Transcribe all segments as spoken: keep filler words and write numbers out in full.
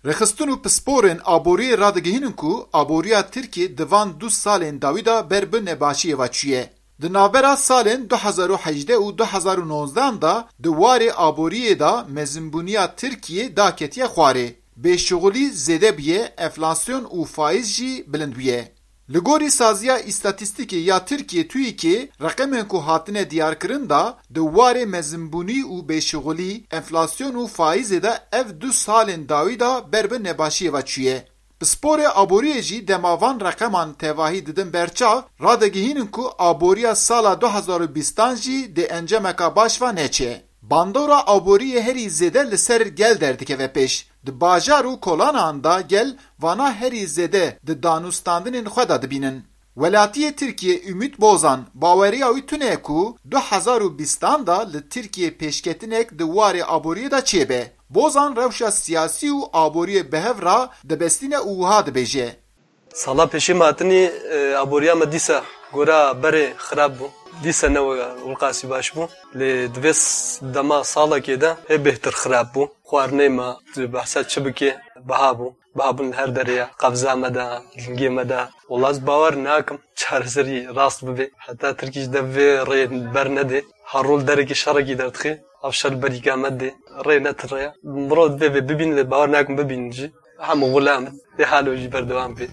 Rêxistin û pisporên aboriyê radigihînin ku aboriya Tirkiyê di van du salên dawî de ber bi nebaşiyê ve çûye. Di navbera salên du hezar û hejdeh û du hezar û nozdehan de di warê aboriyê de mezinbûniya Tirkiyê daketiye xwarê. Bêşixulî zêde bûye, enflasyon û faiz jî bilind bûye. Li gorî Saziya Îstatîstîkê ya Tirkiyê, TÜİKê, reqemên ku hatine diyarkirin de, di warê mezinbûnî û bêşixulî, enflasyon û faîzê de ev du salên dawî de ber bi nebaşiyê ve çûye. Pisporê aboriyê jî dema van reqeman tevahî didin berçav, radigihînin ku aboriya sala du hezar û bîstan jî di encameka baş ve neçe. Bandora aboriyê herî zêde li ser gel derdikeve pêş. Di bajar û kolanan de gel vana herî zêde di danûstandinên xwe de dibînin. Welatiyê Tirkiyê Ümit Bozan baweriya wî tune ye ku du hezar û bîstan de li Tirkiyê pêşketinek di warê aboriyê de çêbe. Bozan rewşa siyasî û aboriyê bi hev re dibestîne û wiha dibêje. Sala pêşî me hatinî, e, aboriya me dîsa gora berê xirab bû. Dîsa ne weka wilqasî baş bû. Lê di vê s-, dema salekê de hê bêhtir xirab bû. Xwarinê me, tu behsa çi bikê, biha bû. Biha bûn li her derê ye. Qevza me de, lingê me de. Wela ez bawer nakim çareserî rast bibe. Heta Tirkî ji dev vê rê bernede. Her rol derekî şerekî derdixê. Ev şer berîka me dê. Rê ne ti rê ye. Mirov divê vê bibîn lê bawer nakim bibîn jî. Hemû xulam in. Dê halo jî berdewam bê.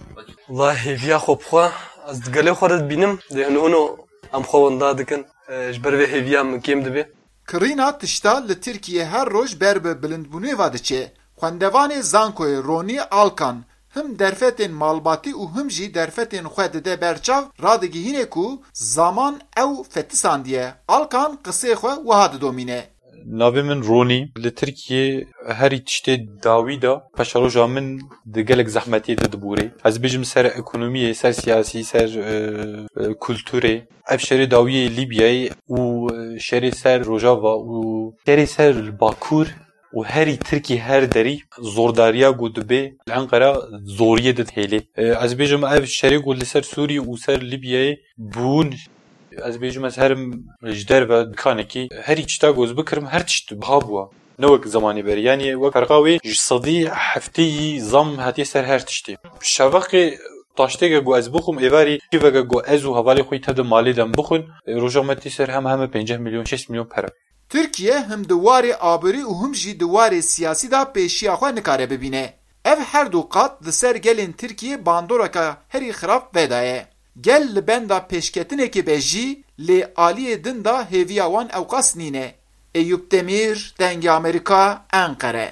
Wela hêviya xwe bi xwe ez di gelê xwe de dibînim. Dê hino hino em xwe winda dikin. E, ji ber vê hêviya min kêm dibe. Kirîna tişta li Tirkiyê her roj ber bi bilindbûnê ve diçe. Xwendevanê zankoyê Ronî Alkan him derfetên malbatî û him jî derfetên xwe dide berçav, radigihîne ku zaman ew fetisandiye. Alkan qisê xwe wiha didomîne. Navê min Ronî. Li Tirkiyê herî tiştê dawî de paşeroja min di gelek zehmetiyê de dibûrê. Ez bêjim ser ekonomiyê, ser siyasî, ser, e, e, kulturê. Ev şerê dawiyê Lîbyayê û, e, şerê ser Rojava û şerê ser Bakur û herî Tirkî her derî zordariya ku dibe li Enqera zoriyê didihêlê. E, ez bêjim ev şerê ku li ser Sûrî û ser Lîbyayê bûn. Ez bêjim ez herim ji derve dikanekî herî tişta ku ez bikirim her tişt biha bûa. Ne wek zemanê berî. Yanî wek ferqa wê ji sedî heftê yî zam hatiye ser her tiştê. Şevaqê taştêke ku ez bixwim êvarî kîveke ku ez û hevalê xwe yî tev de malê de em bixwin, e, roja me tê ser heme heme pênceh milyon, şêst milyon pere. Tirkiye him di warê aborî û him jî di warê siyasî de pêşiya xwe nikare bibîne. Ev her du qat li ser gelên Tirkiyê bandoreka herî xirab vedaye. Gel li benda pêşketinekê be jî, lê aliyê din de hêviya wan ewqas nîne. Eyûp Demîr, Dengê Amerîka, Enqere.